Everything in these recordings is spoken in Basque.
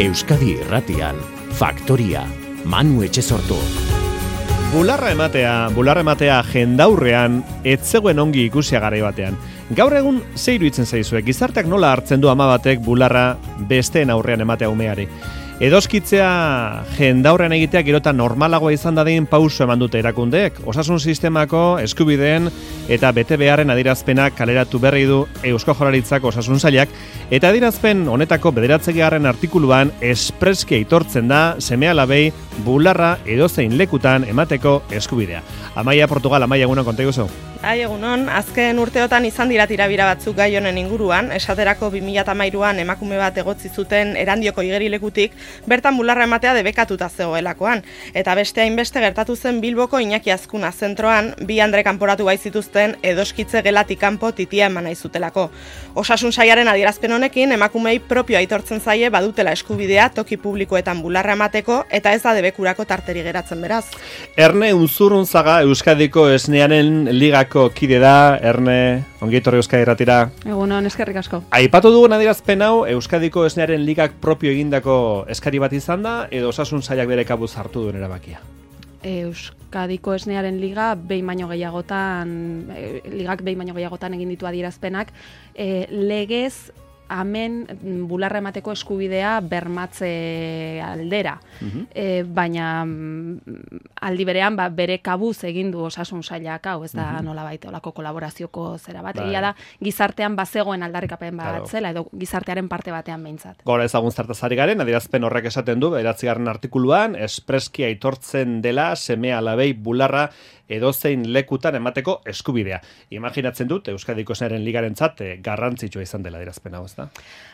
Euskadi Irratian, Faktoria, Manu Etxesortu. Bularra ematea jendaurrean ez zegoen ongi ikusia garai batean. Gaur egun ze iruditzen zaizue, gizarteak nola hartzen du ama batek bularra besteen aurrean ematea umeari. Edoskitzea jendaurrean egitea gerota normalagoa izan dadin pauso eman dute erakundeek. Osasun sistemako eskubideen eta bete beharren adierazpenak kaleratu berri du Eusko Jaurlaritzak Osasun Sailak, eta adierazpen honetako 9. artikuluan espreski aitortzen da seme-alabei bularra edozein lekutan emateko eskubidea. Amaia Portugal, Amaia, egunon konta iguzu? Egunon, azken urteotan izan dira tirabira batzuk gai honen inguruan, esaterako 2013an emakume bat egotzi zuten Erandioko igerilekutik, bertan bularra ematea debekatuta zegoelakoan, eta beste hainbeste gertatu zen Bilboko Iñaki Azkuna zentroan, bi andre kanporatu baitzituzten edoskitze gelatik kanpo titia eman nahi zutelako. Osasun Sailaren adierazpen honekin emakumei propio aitortzen zaie badutela eskubidea toki publikoetan bularra emateko eta ez da debekurako tarteri geratzen beraz. Erne Unzurunzaga Euskadiko Esnearen Ligako kide da. Erne, ongi etorri Euskadi Irratira. Egunon, eskerrik asko. Aipatu dugun adierazpen hau Euskadiko Esnearen Ligak propio egindako eskari bat izan da edo Osasun Sailak bere kabuz hartu duen erabakia? Euskadiko Esnearen Liga behin baino gehiagotan egin ditu adierazpenak, legez hemen bularra emateko eskubidea bermatze aldera. Baina aldi berean bere kabuz egin du Osasun Sailak hau, ez da nolabait olako kolaborazioko zera bat. Egia da gizartean bazegoen aldarrikapen bat zela edo gizartearen parte batean behintzat. Gora ezagun zertaz ari garen, adierazpen horrek esaten du 9. artikuluan espreski aitortzen dela seme-alabei bularra edozein lekutan emateko eskubidea. Imaginatzen dut Euskadiko Esnearen Ligarentzat garrantzitsua izan dela adierazpen hau, ezta?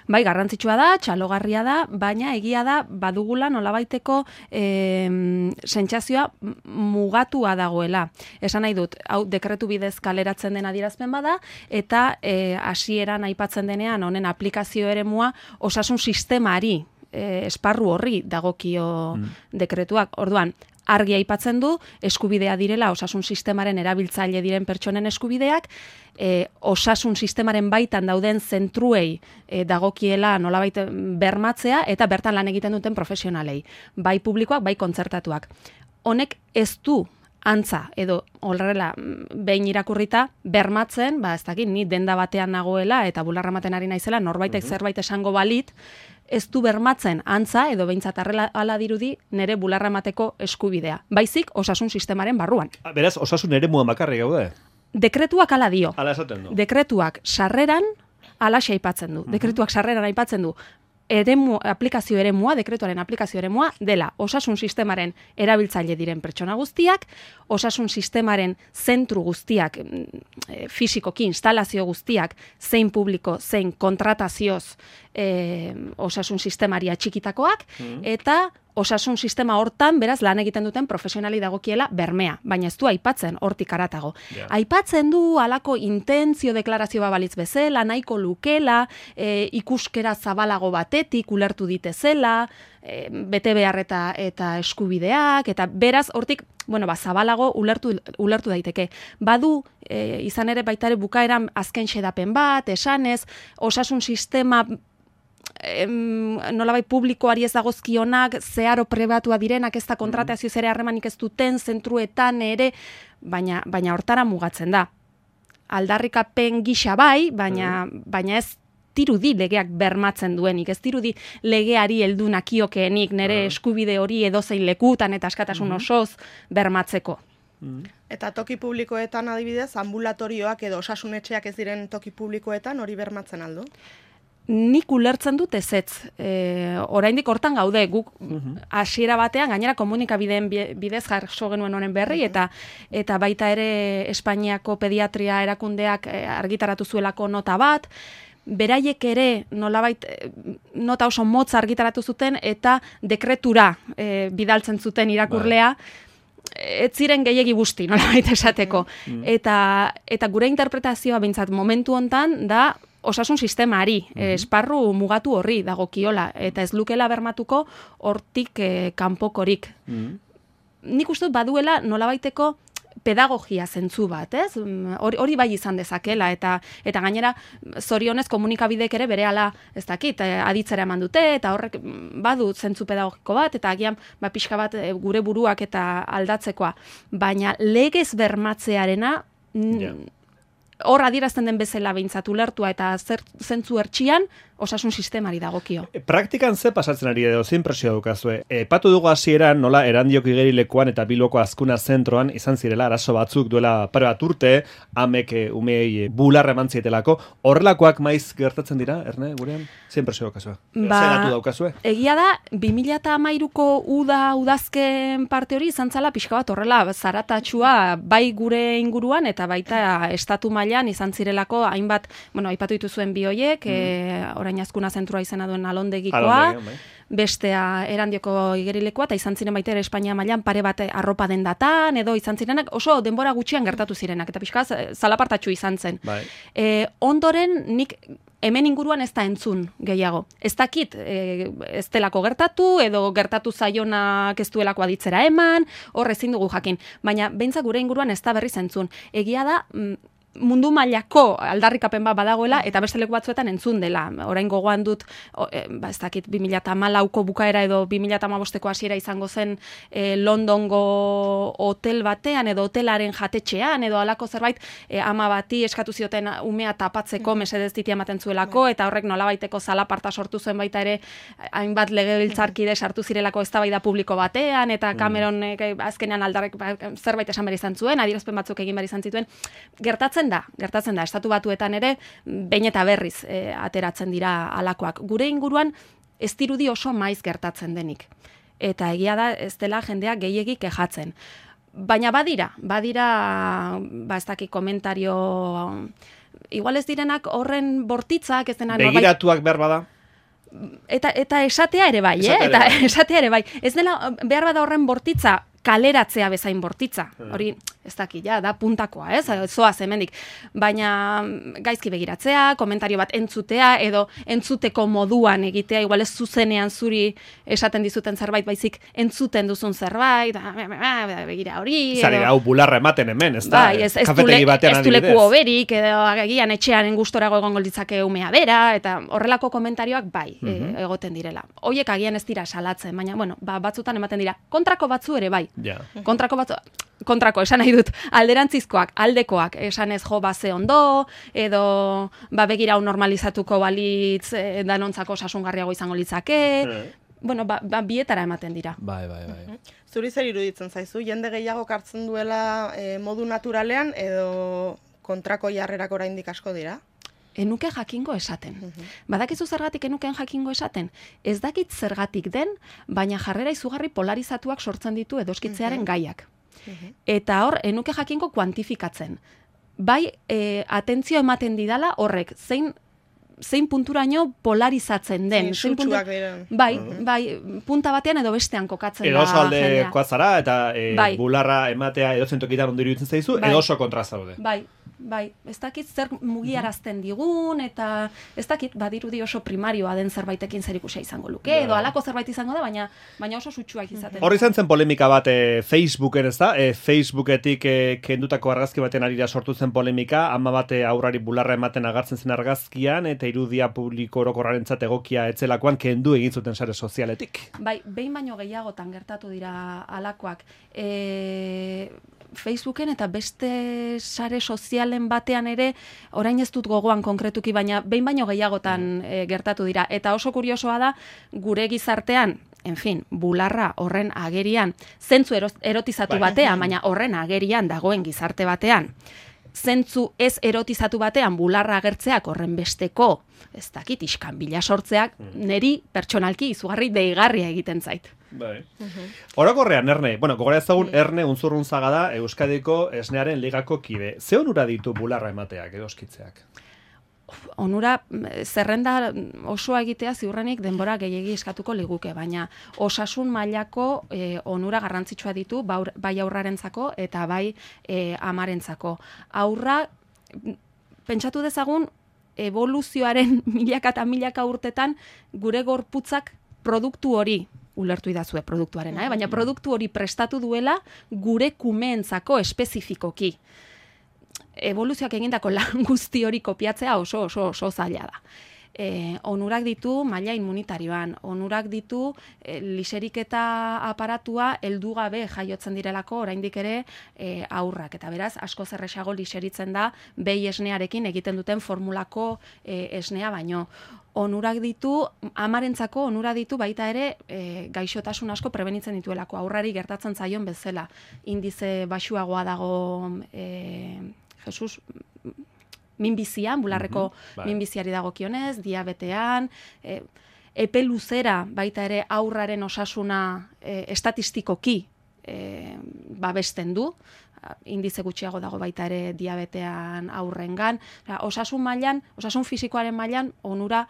Bai, garrantzitsua da, txalogarria da, baina egia da badugula nolabaiteko sentsazioa mugatua dagoela. Esan nahi dut, hau dekretu bidez kaleratzen den adierazpen bada, eta hasieran aipatzen denean honen aplikazio eremua osasun sistemari, esparru horri dagokio dekretuak. Orduan, argi aipatzen du, eskubidea direla osasun sistemaren erabiltzaile diren pertsonen eskubideak, osasun sistemaren baitan dauden zentruei dagokiela nolabait bermatzea eta bertan lan egiten duten profesionalei, bai publikoak, bai kontzertatuak. Honek ez du antza edo horrela behin irakurrita bermatzen, ez dakit, ni denda batean nagoela eta bularra ematen ari naizela norbaitek zerbait esango balit, ez du bermatzen antza edo behintzat hala dirudi nere bularra emateko eskubidea. Baizik osasun sistemaren barruan. Beraz, osasun eremuan bakarrik gaude? Dekretuak hala dio. Hala esaten du. Dekretuak sarreran halaxe aipatzen du. Dekretuak sarreran aipatzen du. Aplikazio eremua, dekretuaren aplikazio eremua dela osasun sistemaren erabiltzaile diren pertsona guztiak, osasun sistemaren zentru guztiak, fisikoki instalazio guztiak, zein publiko, zein kontratazioz osasun sistemari atxikitakoak, eta osasun sistema hortan, beraz, lan egiten duten profesionali dagokiela bermea, baina ez du aipatzen hortik haratago. Aipatzen du halako intentzio deklarazioa balitz bezala, nahiko lukela, ikuskera zabalago batetik ulertu ditezela, bete behar eta eskubideak, eta beraz, hortik, zabalago ulertu daiteke. Badu, izan ere baitare bukaeran azken xedapen bat, esanez, osasun sistema nolabait publikoari ez dagozkionak, zeharo pribatua direnak, ez da kontratazio ere harremanik ez duten, zentruetan ere, baina hortara mugatzen da. Aldarrikapen gisa bai, baina ez dirudi legeak bermatzen duenik, ez dirudi legeari heldu nakiokeenik nere eskubide hori edozein lekutan eta askatasun osoz bermatzeko. Eta toki publikoetan adibidez, ambulatorioak edo osasunetxeak ez diren toki publikoetan hori bermatzen aldu? Nik ulertzen dut ezetz. Oraindik hortan gaude, guk hasiera batean, gainera komunikabideen bidez jaso genuen honen berri, eta baita ere Espainiako pediatria erakundeak argitaratu zuelako nota bat, beraiek ere nolabait nota oso motz argitaratu zuten eta dekretura bidaltzen zuten irakurlea, ez ziren gehiegi busti, nolabait esateko. Eta gure interpretazioa behintzat momentu hontan da osasun sistemari, esparru mugatu horri dagokiola, eta ez lukela bermatuko hortik kanpokorik. Nik uste dut baduela nolabaiteko pedagogia zentzu bat, ez? Hori bai izan dezakela, eta gainera, zorionez komunikabidek ere berehala, ez dakit, aditzera eman dute, eta horrek badu zentzu pedagogiko bat, eta agian pixka bat gure buruak eta aldatzekoa. Baina legez bermatzearena, hor adierazten den bezala behintzat ulertua eta zentzu hertsian, osasun sistemari dagokio. Praktikan ze pasatzen ari edo, zein presio daukazue? Epatu dugu hasieran nola Erandioko igerilekuan eta Bilboko Azkuna zentroan izan zirela arazo batzuk duela pare bat urte, amek umei bularra eman zietelako. Horrelakoak maiz gertatzen dira, Erne, gurean? Zein presio daukazue? Ze datu daukazue? Egia da, 2013ko udazken parte hori izan zala pixka bat horrela zaratatxua bai gure inguruan eta baita estatu mailan izan zirelako hainbat, aipatu dituzuen bi hoiek, orain Azkuna zentroa izena duen Alondegikoa, bestea Erandioko igerilekoa, eta izan ziren baita ere Espainia mailan pare bat arropa dendatan, edo izan zirenak oso denbora gutxian gertatu zirenak, eta pixka zalapartatxu izan zen. Ondoren nik hemen inguruan ez da entzun gehiago. Ez dakit, ez delako gertatu, edo gertatu zaionak ez duelako aditzera eman, hor ezin dugu jakin. Baina behintzat gure inguruan ez da berriz entzun. Egia da, mundu mailako aldarrikapen bat badagoela eta beste leku batzuetan entzun dela. Orain gogoan dut, ez dakit 2014ko bukaera edo 2015ko hasiera izango zen Londongo hotel batean edo hotelaren jatetxean edo halako zerbait ama bati eskatu zioten umea tapatzeko mesedez ditia ematen zuelako eta horrek nolabaiteko zalaparta sortu zuen baita ere hainbat legebiltzarkide sartu zirelako eztabaida publiko batean eta Cameron azkenean aldarrek zerbait esan behar izan zuen, adierazpen batzuk egin behar izan zituen. Gertatzen da, estatu batuetan ere, behin eta berriz ateratzen dira alakoak. Gure inguruan, ez dirudi oso maiz gertatzen denik. Eta egia da, ez dela jendea gehiegi kejatzen. Baina badira, ez dakit komentario, igual ez direnak horren bortitzak, ez dena... Begiratuak behar bada? Eta esatea ere bai, esatea ere bai. Ez dela, behar bada horren bortitza, kaleratzea bezain bortitza. Hori, ez dakit, da puntakoa, zoaz hemendik. Baina gaizki begiratzea, komentario bat entzutea, edo entzuteko moduan egitea, igual ez zuzenean zuri esaten dizuten zerbait, baizik entzuten duzun zerbait, begira hori. Zari, hau bularra ematen hemen, ez da? Kafetegi batean adibidez. Ez du leku oberik, edo agian etxean gustorago egongo litzake umea bera, eta horrelako komentarioak bai, egoten direla. Hoiek agian ez dira salatzen, baina, batzutan ematen dira. Kontrako batzu ere bai. Kontrako, esan nahi dut, alderantzizkoak, aldekoak, esan ez ze ondo, edo begira hau normalizatuko balitz danontzako osasungarriago izango litzake, bietara ematen dira. Bai. Zuri zer iruditzen zaizu, jende gehiago hartzen duela modu naturalean, edo kontrako jarrerak oraindik asko dira? Enuke jakingo esaten. Badakizu zergatik enuken jakingo esaten? Ez dakit zergatik den, baina jarrera izugarri polarizatuak sortzen ditu edoskitzearen gaiak. Eta hor, enuke jakingo kuantifikatzen. Bai, atentzio ematen didala horrek, zein punturaino polarizatzen den. Sutsuak diren. Bai, punta batean edo bestean kokatzen da. Edo oso aldekoa zara, eta bularra ematea edo zentokitan ondo iruditzen zaizu, edo oso kontra zaude. Bai, ez dakit zer mugiarazten digun, eta ez dakit badirudi oso primarioa den zerbaitekin zerikusia izango luke, edo halako zerbait izango da, baina oso sutsuak izaten. Hor izan zen polemika bat Facebooken, ez da? Facebooketik kendutako argazki baten arira sortu zen polemika, ama bate aurrari bularra ematen agartzen zen argazkian, eta irudia publiko orokorrarentzat egokia etzelakoan kendu egin zuten sare sozialetik. Bai, behin baino gehiagotan gertatu dira halakoak. Facebooken eta beste sare sozialen batean ere, orain ez dut gogoan konkretuki, baina behin baino gehiagotan gertatu dira. Eta oso kuriosoa da, gure gizartean, bularra horren agerian, zentzu erotizatu batean, baina horren agerian dagoen gizarte batean, zentzu ez erotizatu batean bularra agertzeak horren besteko, ez dakit, iskanbila sortzeak, neri pertsonalki izugarri deigarria egiten zait. Bai. Orokorrean, Erne, gogora ezagun Erne Unzurrunzaga da Euskadiko Esnearen Ligako kide. Ze onura ditu bularra emateak, edoskitzeak? Onura, zerrenda osoa egitea ziurrenik denbora gehiegi eskatuko liguke, baina osasun mailako onura garrantzitsua ditu, bai aurrarentzako eta bai amarentzako. Aurra, pentsatu dezagun, evoluzioaren milaka eta milaka urtetan gure gorputzak produktu hori ulertu idazue produktuarena, baina produktu hori prestatu duela gure kumeentzako espezifikoki. Evoluzioak egindako lan guzti hori kopiatzea oso zaila da. Onurak ditu maila immunitarioan, onurak ditu liseriketa aparatua heldu gabe jaiotzen direlako oraindik ere aurrak, eta beraz asko zerrexago liseritzen da behi esnearekin egiten duten formulako esnea baino. Onurak ditu, amarentzako onura ditu baita ere gaixotasun asko prebenitzen dituelako, aurrari gertatzen zaion bezala. Indize baxuagoa dago Jesus minbizian, bularreko minbiziari dagokionez, diabetean, epe luzera baita ere aurraren osasuna estatistikoki babesten du, indize gutxiago dago baita ere diabetean aurrengan, osasun mailan, osasun fisikoaren mailan onura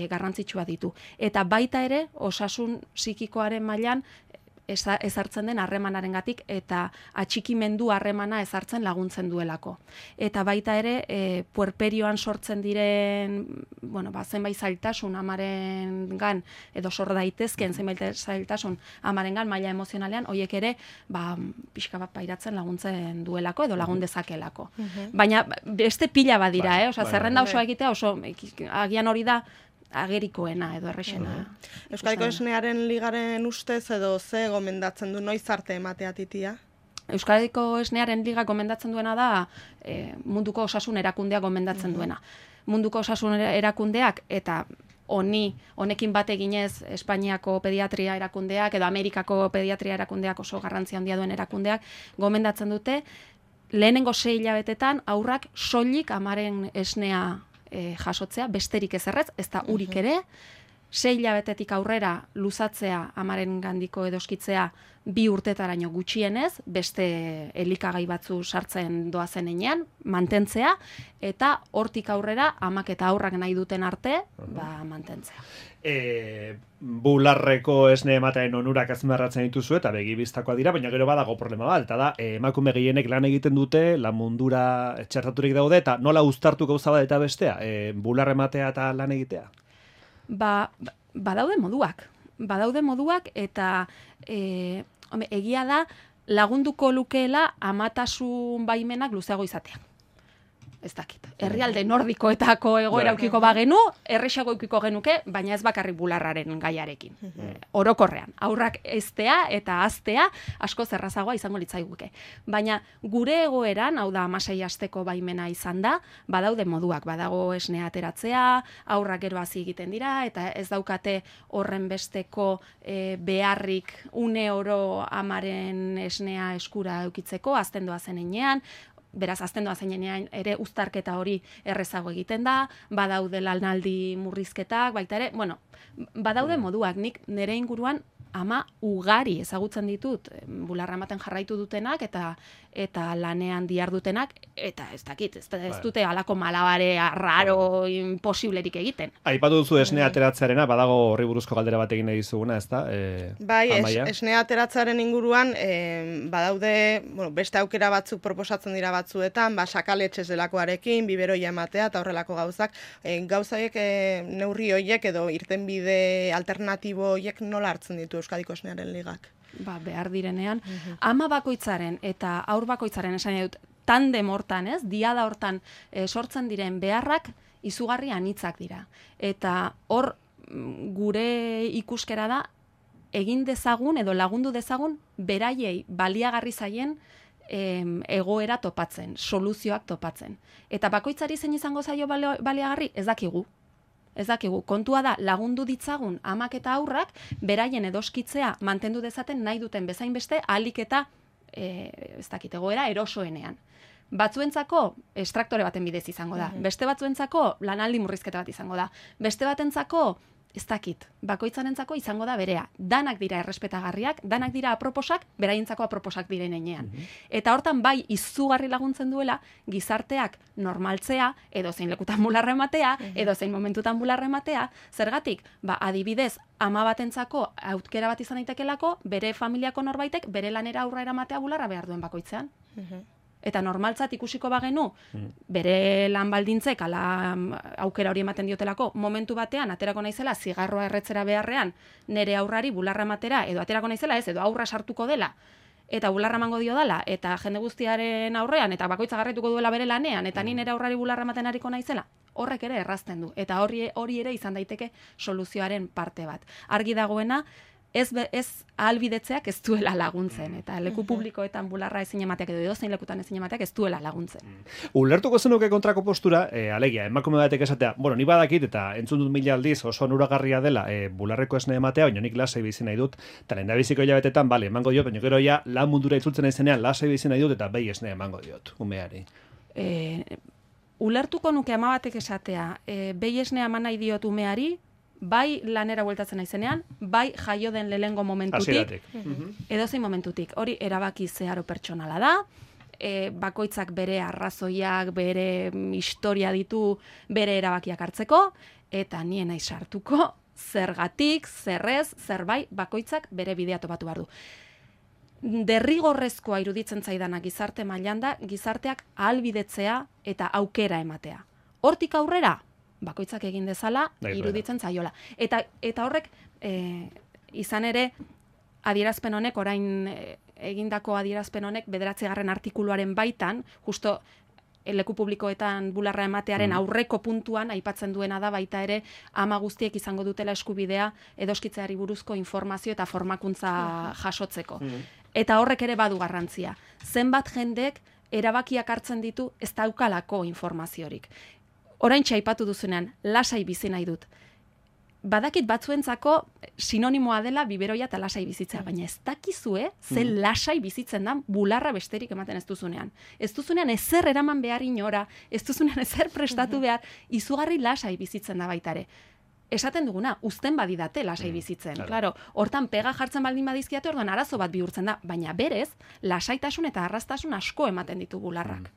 garrantzitsua ditu. Eta baita ere osasun psikikoaren mailan ezartzen den harremanarengatik eta atxikimendu harremana ezartzen laguntzen duelako. Eta baita ere puerperioan sortzen diren, zenbait zailtasun amarengan edo sor daitezkeen zenbait zailtasun amarengan maila emozionalean, hoiek ere pixka bat pairatzen laguntzen duelako edo lagun dezakelako. Baina beste pila badira, zerrenda osoa egitea oso agian hori da agerikoena edo errexena. Euskadiko Esnearen Ligaren ustez edo ze gomendatzen du noiz arte ematea titia? Euskadiko Esnearen Liga gomendatzen duena da munduko osasun erakundeak gomendatzen duena. Munduko osasun erakundeak eta honekin bat eginez Espainiako pediatria erakundeak edo Amerikako pediatria erakundeak oso garrantzi handia duen erakundeak gomendatzen dute lehenengo 6 hilabetetan aurrak soilik amaren esnea jasotzea, besterik ezerrez, ez da urik ere, 6 hilabetetik aurrera luzatzea amaren gandiko edoskitzea 2 urtetaraino gutxienez, beste elikagai batzu sartzen doazen enean, mantentzea, eta hortik aurrera amak eta aurrak nahi duten arte, mantentzea. Bularreko esne ematearen onurak azpimarratzen dituzu eta begibistakoa dira, baina gero badago problema bat, eta da, emakume gehienek lan egiten dute, lan mundura txertaturik daude, eta nola uztartu gauza bat eta bestea, bular ematea eta lan egitea? Badaude moduak eta egia da lagunduko lukeela amatasun baimenak luzeago izatea. Ez dakit. Herrialde nordikoetako egoera ukiko bagenu, errexago ukiko genuke, baina ez bakarrik bularraren gaiarekin. Orokorrean, aurrak eztea eta aztea asko zerrazagoa izango litzaiguke. Baina gure egoeran, hau da 16 asteko baimena izan da, badaude moduak, badago esnea ateratzea, aurrak gero hasi egiten dira, eta ez daukate horren besteko beharrik une oro amaren esnea eskura eukitzeko, azten doa zenean, beraz, azten doa zeinean ere uztarketa hori errezago egiten da, badaude lanaldi murrizketak, baita ere, badaude moduak, nik nire inguruan ama ugari ezagutzen ditut, bularra ematen jarraitu dutenak eta lanean dihardutenak, eta ez dakit, ez dute halako malabare raro imposiblerik egiten. Aipatu duzu esnea ateratzearena, badago horri buruzko galdera bat egin nahi dizuguna, ezta? Esnea ateratzearen inguruan badaude, beste aukera batzuk proposatzen dira batzuetan, sakaletxez delakoarekin, biberoia ematea eta horrelako gauzak. Gauzaiek neurri horiek edo irtenbide alternatibo horiek nola hartzen ditu Euskadiko Esnearen Ligak? Behar direnean, ama bakoitzaren eta aur bakoitzaren esan dut, tandem hortan, diada hortan sortzen diren beharrak izugarri anitzak dira. Eta hor gure ikuskera da egin dezagun edo lagundu dezagun beraiei baliagarri zaien egoera topatzen, soluzioak topatzen. Eta bakoitzari zein izango zaio baliagarri, ez dakigu. Kontua da lagundu ditzagun amak eta aurrak beraien edoskitzea mantendu dezaten nahi duten bezain beste ahalik eta egoera erosoenean. Batzuentzako estraktore baten bidez izango da. Beste batzuentzako lanaldi murrizketa bat izango da. Beste batentzako ez dakit, bakoitzarentzako izango da berea. Danak dira errespetagarriak, danak dira aproposak, beraientzako aproposak diren enean. Eta hortan bai izugarri laguntzen duela gizarteak normaltzea, edo zein lekutan bularra ematea, edo zein momentutan bularra ematea, zergatik, adibidez, ama batentzako aukera bat izan daitekelako, bere familiako norbaitek, bere lanera aurra eramatea bularra behar duen bakoitzean. Eta normaltzat ikusiko bagenu, bere lan baldintzek, ala aukera hori ematen diotelako, momentu batean, aterako naizela, zigarroa erretzera beharrean, nere aurrari bularra ematera, edo aterako naizela ez, edo aurra sartuko dela, eta bularra emango dio dela, eta jende guztiaren aurrean, eta bakoitza garraituko duela bere lanean, eta ni nere aurrari bularra ematen ariko naizela, horrek ere errazten du. Eta hori ere izan daiteke soluzioaren parte bat. Argi dagoena, ez ahalbidetzeak ez duela laguntzen, eta leku publikoetan bularra ezin emateak edo edozein lekutan ezin emateak ez duela laguntzen. Ulertuko zenuke kontrako postura, alegia, emakume batek esatea, ni badakit eta entzun dut 1000 aldiz oso onuragarria dela bularreko esne ematea, baina nik lasai bizi nahi dut, eta lehendabiziko hilabetetan, bale, emango diot, baina gero ja lan mundura itzultzen naizenean lasai bizi nahi dut eta behi esne emango diot, umeari. Ulertuko nuke ama batek esatea, behi esne eman nahi diot umeari, bai lanera bueltatzen naizenean, bai jaio den lehengo momentutik, edozein momentutik. Hori erabaki zeharo pertsonala da, bakoitzak bere arrazoiak, bere historia ditu, bere erabakiak hartzeko, eta nien naiz sartuko, zergatik, zerrez, zerbai, bakoitzak bere bidea topatu behar du. Derrigorrezkoa iruditzen zaidana gizarte mailan da, gizarteak ahalbidetzea eta aukera ematea. Hortik aurrera, bakoitzak egin dezala, iruditzen zaiola. Eta horrek, izan ere, adierazpen honek, orain egindako adierazpen honek, 9. artikuluaren baitan, justo leku publikoetan bularra ematearen aurreko puntuan, aipatzen duena da baita ere, ama guztiek izango dutela eskubidea edoskitzeari buruzko informazio eta formakuntza jasotzeko. Eta horrek ere badu garrantzia. Zenbat jendek erabakiak hartzen ditu ez daukalako informaziorik. Oraintxe aipatu duzunean, lasai bizi nahi dut. Badakit batzuentzako sinonimoa dela biberoia eta lasai bizitzea, baina ez dakizue ze lasai bizitzen da bularra besterik ematen ez duzunean. Ez duzunean ezer eraman behar inora, ez duzunean ezer prestatu behar, izugarri lasai bizitzen da baitare. Esaten duguna, uzten badidate lasai bizitzen. Claro, hortan pega jartzen baldin badizkiate, orduan arazo bat bihurtzen da, baina berez, lasaitasun eta arrastasun asko ematen ditu bularrak.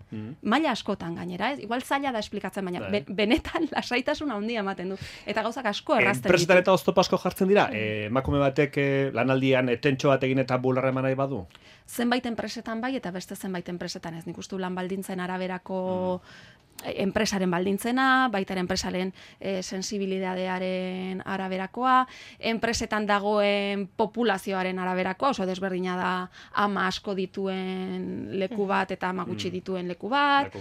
Maila askotan gainera, ez? Igual zaila da esplikatzen, baina benetan lasaitasun handia ematen du. Eta gauzak asko errazten ditu. Enpresetan eta oztopo asko jartzen dira? Emakume batek lanaldian tentxo bat egin eta bularra eman nahi badu? Zenbait enpresetan bai, eta beste zenbait enpresetan ez. Nik uste lan baldintzen araberako enpresaren baldintzena, baita enpresaren sensibilidadearen araberakoa, enpresetan dagoen populazioaren araberakoa, oso desberdina da ama asko dituen leku bat eta ama gutxi dituen leku bat.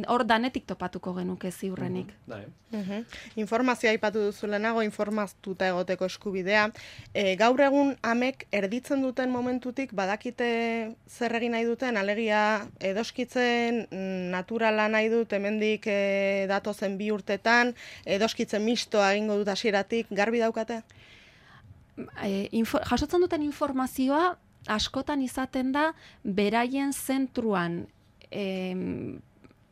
Hor danetik topatuko genuke ziurrenik. Informazioa aipatu duzu lehenago, informatuta egoteko eskubidea. Gaur egun amek erditzen duten momentutik badakite zer egin nahi duten, alegia edoskitzen naturala nahi dut, hemendik datozen 2 urtetan, edoskitzen mistoa egingo dut hasieratik, garbi daukate? Jasotzen duten informazioa askotan izaten da beraien zentruan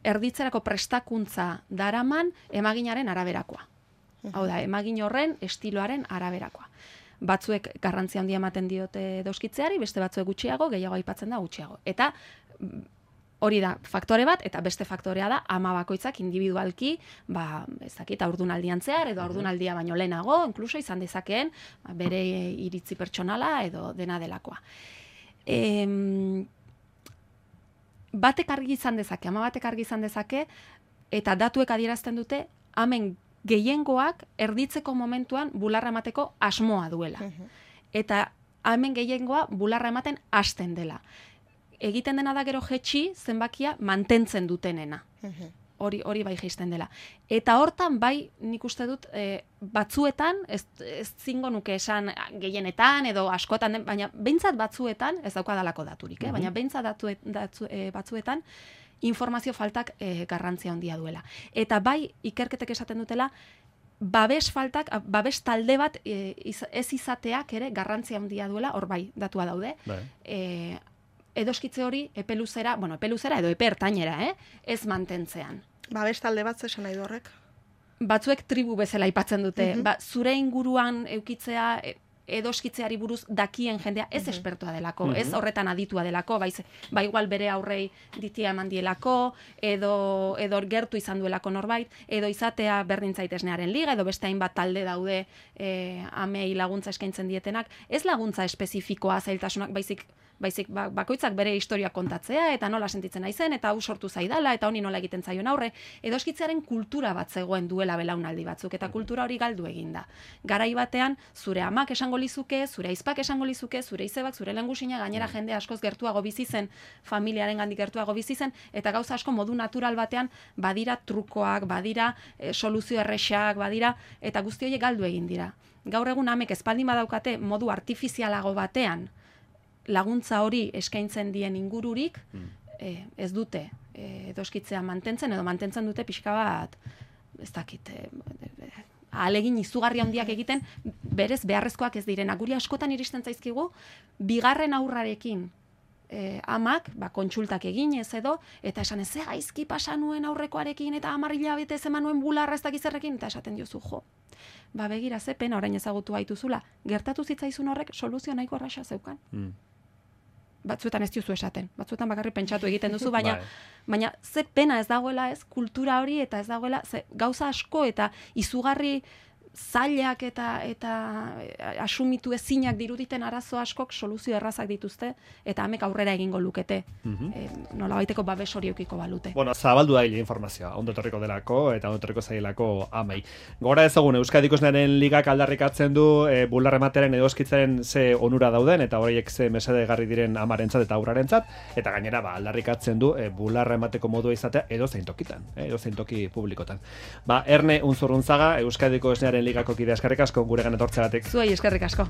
erditzerako prestakuntza daraman emaginaren araberakoa. Hau da, emagin horren estiloaren araberakoa. Batzuek garrantzia handia ematen diote edoskitzeari, beste batzuek gutxiago, gehiago aipatzen da gutxiago. Eta hori da faktore bat, eta beste faktorea da ama bakoitzak individualki, ez dakit, haurdunaldian zehar, edo haurdunaldia baino lehenago, inkluso izan dezakeen, bere iritzi pertsonala edo dena delakoa. Batek argi izan dezake, ama batek argi izan dezake, eta datuek adierazten dute, amen gehiengoak erditzeko momentuan bularra emateko asmoa duela. Eta amen gehiengoa bularra ematen hasten dela. Egiten dena da gero jetxi zenbakia mantentzen dutenena. Hori bai jaisten dela. Eta hortan bai nik uste dut batzuetan, ez zingo nuke esan gehienetan edo askotan, baina behintzat batzuetan, ez daukadalako daturik, baina behintzat batzuetan informazio faltak garrantzia handia duela. Eta bai ikerketek esaten dutela, babes faltak, babes talde bat ez izateak ere garrantzia handia duela, hor bai datua daude. Edoskitze hori epeluzera edo epe ertainera, ez mantentzean. Babes talde bat zesan nahi du horrek? Batzuek tribu bezala aipatzen dute. Zure inguruan eukitzea edoskitzeari buruz dakien jendea ez espertoa delako, ez horretan aditua delako, ba igual bere aurrei ditia eman dielako, edo gertu izan duelako norbait, edo izatea berdin zaitesnearen liga, edo beste hainbat talde daude amei laguntza eskaintzen dietenak, ez laguntza espezifikoa zailtasunak, baizik baizik bakoitzak bere historia kontatzea, eta nola sentitzen naizen, eta hau sortu zaidala, eta honi nola egiten zaion aurre, edoskitzearen kultura bat zegoen duela belaunaldi batzuk, eta kultura hori galdu eginda. Garai batean, zure amak esango lizuke, zure aizpak esango lizuke, zure izebak, zure lehengusina, gainera jende askoz gertuago bizi zen, familiaren gandik gertuago bizi zen, eta gauza asko modu natural batean badira trukoak, badira soluzio erresak, badira, eta guzti horiek galdu egin dira. Gaur egun amek espaldin badaukate modu artifizialago batean laguntza hori eskaintzen dien ingururik, ez dute edoskitzea mantentzen, edo mantentzen dute pixka bat, ez dakit, ahalegin izugarri handiak egiten, berez beharrezkoak ez direna. Guri askotan iristen zaizkigu, bigarren aurrarekin amak, kontsultak eginez edo, eta esan ez gaizki pasa nuen aurrekoarekin, eta 10 hilabete eman nuen bularra ez dakizerrekin, eta esaten diozu, jo, begira ze pena orain ezagutu gaituzula, gertatu zitzaizun horrek soluzio nahiko erraza zeukan. Batzuetan ez diozu esaten, batzuetan bakarrik pentsatu egiten duzu, baina ze pena ez dagoela ez kultura hori, eta ez dagoela gauza asko eta izugarri zailak eta asumitu ezinak diruditen arazo askok soluzio errazak dituzte, eta amek aurrera egingo lukete. Nola baiteko babes hori eukiko balute. Bueno, zabaldu da informazioa, ondo etorriko delako eta ondo etorriko zailako amei. Gora ezagun, Euskadiko Esnearen Ligak aldarrikatzen du bularra ematearen edo eskitzaren ze onura dauden, eta horiek ze mesedegarri diren amarentzat eta aurrarentzat, eta gainera aldarrikatzen du bularra emateko modua izatea edozein tokitan, edozein toki publikotan. Erne Unzurrunzaga, Euskadiko Esnearen Ligako kidea, eskerrik asko guregan etortzeagatik. Zuei eskerrik asko.